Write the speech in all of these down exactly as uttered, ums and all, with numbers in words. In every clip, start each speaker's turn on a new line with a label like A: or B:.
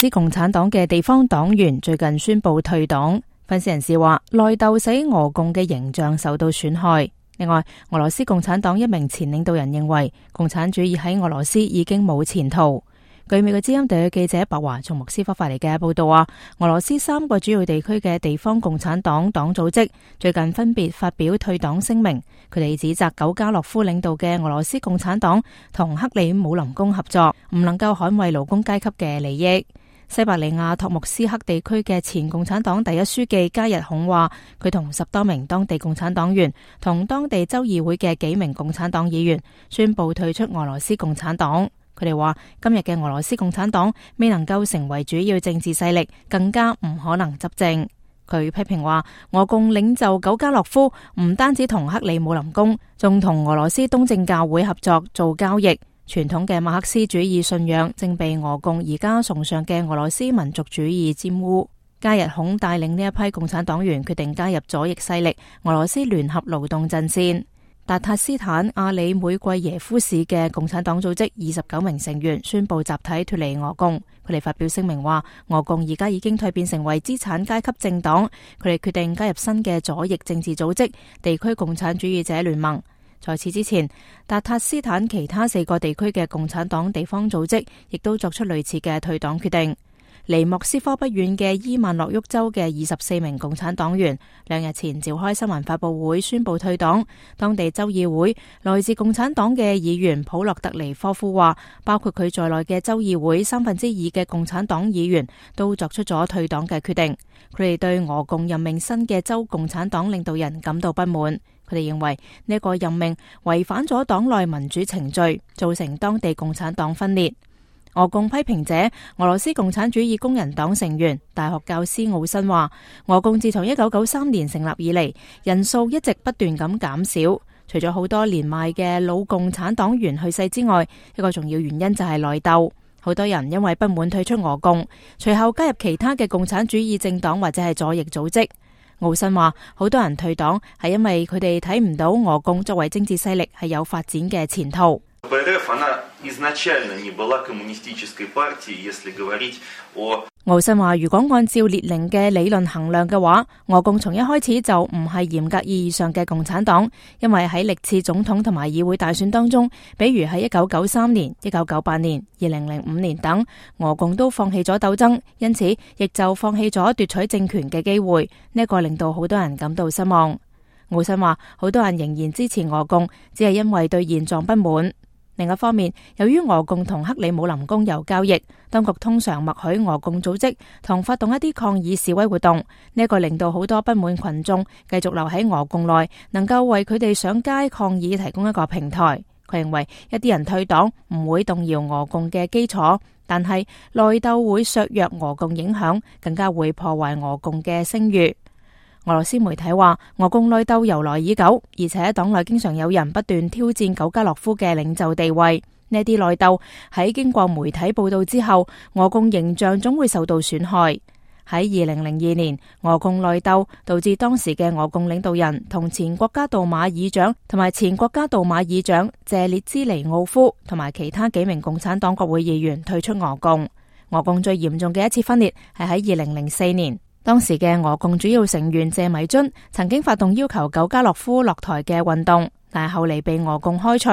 A: 斯共產黨嘅地方黨員最近宣布退黨。分析人士話，內鬥使俄共嘅形象受到損害。另外，俄羅斯共產黨一名前領導人認為，共產主義喺俄羅斯已經冇前途。據美國之音特約記者白華從莫斯科發嚟嘅報道話，俄羅斯三個主要地區嘅地方共產黨黨組織最近分別發表退黨聲明，佢哋指責久加諾夫領導嘅俄羅斯共產黨同克里姆林宮合作，唔能夠捍衛勞工階級嘅利益。西伯利亞托木斯克地區嘅前共產黨第一書記加日孔話，佢同十多名當地共產黨員同當地州議會嘅幾名共產黨議員宣布退出俄羅斯共產黨。佢哋話，今日嘅俄羅斯共產黨未能夠成為主要政治勢力，更加唔可能執政。佢批評話，俄共領袖久加諾夫唔單止同克里姆林宮，仲同俄羅斯東正教會合作做交易。傳統嘅馬克思主義信仰正被俄共而家崇尚嘅俄羅斯民族主義沾污。加日孔帶領呢一批共產黨員決定加入左翼勢力俄羅斯聯合勞動陣線。達塔斯坦阿里每季耶夫市嘅共產黨組織二十九名成員宣布集體脫離俄共。佢哋發表聲明話，俄共而家已經蛻變成為資產階級政黨，佢哋決定加入新嘅左翼政治組織地區共產主義者聯盟。在此之前，達塔斯坦其他四個地區嘅共產黨地方組織亦都作出類似嘅退黨決定。離莫斯科不遠嘅伊萬諾沃州嘅二十四名共產黨員兩日前召開新聞發佈會宣布退黨。當地州議會來自共產黨嘅議員普洛特尼科夫話，包括佢在內嘅州議會三分之二嘅共產黨議員都作出咗退黨嘅決定。佢哋對俄共任命新嘅州共產黨領導人感到不滿。佢哋認為呢個任命違反咗黨內民主程序，造成當地共產黨分裂。俄共批評者俄羅斯共產主義工人黨成員大學教師奧申話，俄共自從一九九三年成立以嚟，人數一直不斷咁減少。除咗好多年邁嘅老共產黨員去世之外，一個重要原因就係內鬥。好多人因為不滿退出俄共，隨後加入其他嘅共產主義政黨或者係左翼組織。奧申話，好多人退黨係因為佢哋睇唔到俄共作為政治勢力係有發展嘅前途。奧申話，如果按照列寧嘅理論衡量嘅話，俄共從一開始就唔係嚴格意義上嘅共產黨，因為喺歷次總統同埋議會大選當中，比如喺一九九三年、一九九八年、二零零五年等，俄共都放棄咗鬥爭，因此亦就放棄咗奪取政權嘅機會。呢一個令到好多人感到失望。奧申話，好多人仍然支持俄共，只係因為對現狀不滿。另一方面，由於俄共同克里姆林宮有交易，當局通常默許俄共組織同發動一啲抗議示威活動，呢一個令到好多不滿群眾繼續留喺俄共內，能夠為佢哋上街抗議提供一個平台。佢認為一啲人退黨唔會動搖俄共嘅基礎，但係內鬥會削弱俄共影響，更加會破壞俄共嘅聲譽。俄羅斯媒體話，俄共內鬥由來已久，而且黨內經常有人不斷挑戰久加諾夫嘅領袖地位。呢啲內鬥喺經過媒體報道之後，俄共形象總會受到損害。喺二零零二年，俄共內鬥導致當時嘅俄共領導人同前國家杜馬議長同埋前國家杜馬議長謝列茲尼奧夫同埋其他幾名共產黨國會議員退出俄共。俄共最嚴重嘅一次分裂係喺二零零四年。當時嘅俄共主要成員謝米津曾經發動要求久加諾夫落台嘅運動，但係後嚟被俄共開除。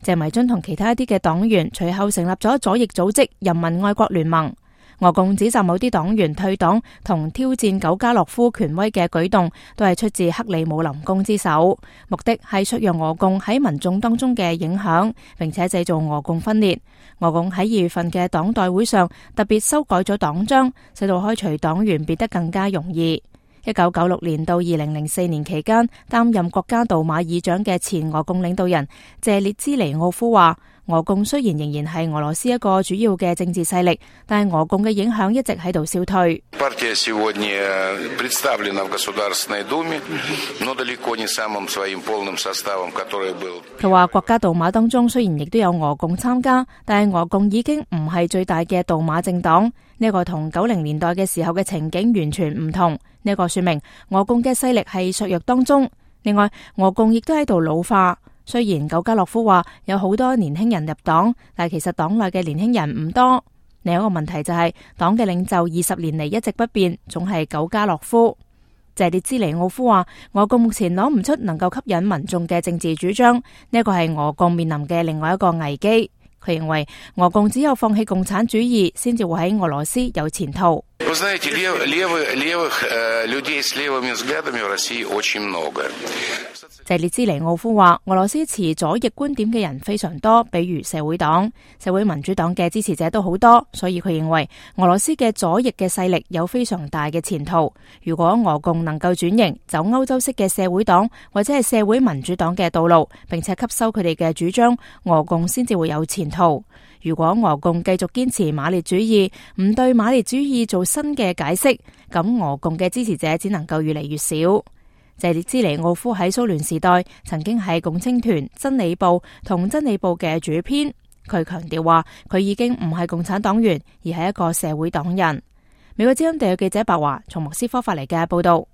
A: 謝米津同其他一啲嘅黨員隨後成立咗左翼組織人民愛國聯盟。俄共指責某啲黨員退黨同挑戰久加諾夫權威嘅舉動都係出自克里姆林宮之手，目的係削弱俄共喺民眾當中嘅影響，並且製造俄共分裂。俄共喺二月份嘅黨代會上特別修改咗黨章，使到開除黨員變得更加容易。一九九六年到二零零四年期間，擔任國家杜馬議長嘅前俄共領導人謝列茲尼奧夫話，俄共雖然仍然係俄羅斯一個主要嘅政治勢力，但係俄共嘅影響一直喺度消退。佢話國家杜馬當中雖然亦都有俄共參加，但係俄共已經唔係最大嘅杜馬政黨。呢個同九零年代嘅時候嘅情景完全唔同。呢個說明俄共嘅勢力係削弱當中。另外，俄共亦都喺度老化。雖然久加諾夫話有好多年輕人入黨，但其實黨內嘅年輕人唔多。另一個問題就係黨嘅領袖二十年嚟一直不變，總係久加諾夫。謝列茲尼奧夫話，俄共目前攞唔出能夠吸引民眾嘅政治主張，呢一個係俄共面臨嘅另外一個危機。佢認為俄共只有放棄共產主義，先至會喺俄羅斯有前途。謝列茲尼奧夫話，俄羅斯持左翼觀點嘅人非常多，比如社會黨、社會民主黨嘅支持者都好多，所以佢認為俄羅斯嘅左翼嘅勢力有非常大嘅前途。如果俄共能夠轉型，走歐洲式嘅社會黨或者係社會民主黨嘅道路，並且吸收佢哋嘅主張，俄共先至會有前途。如果俄共繼續堅持馬列主義，唔對馬列主義做新嘅解釋，咁俄共嘅支持者只能夠越嚟越少。謝列茲尼奧夫喺蘇聯時代曾經係共青團、真理報同真理報嘅主編。佢強調話，佢已經唔係共產黨員，而係一個社會黨人。美國之音地區記者白華從莫斯科發嚟嘅報道。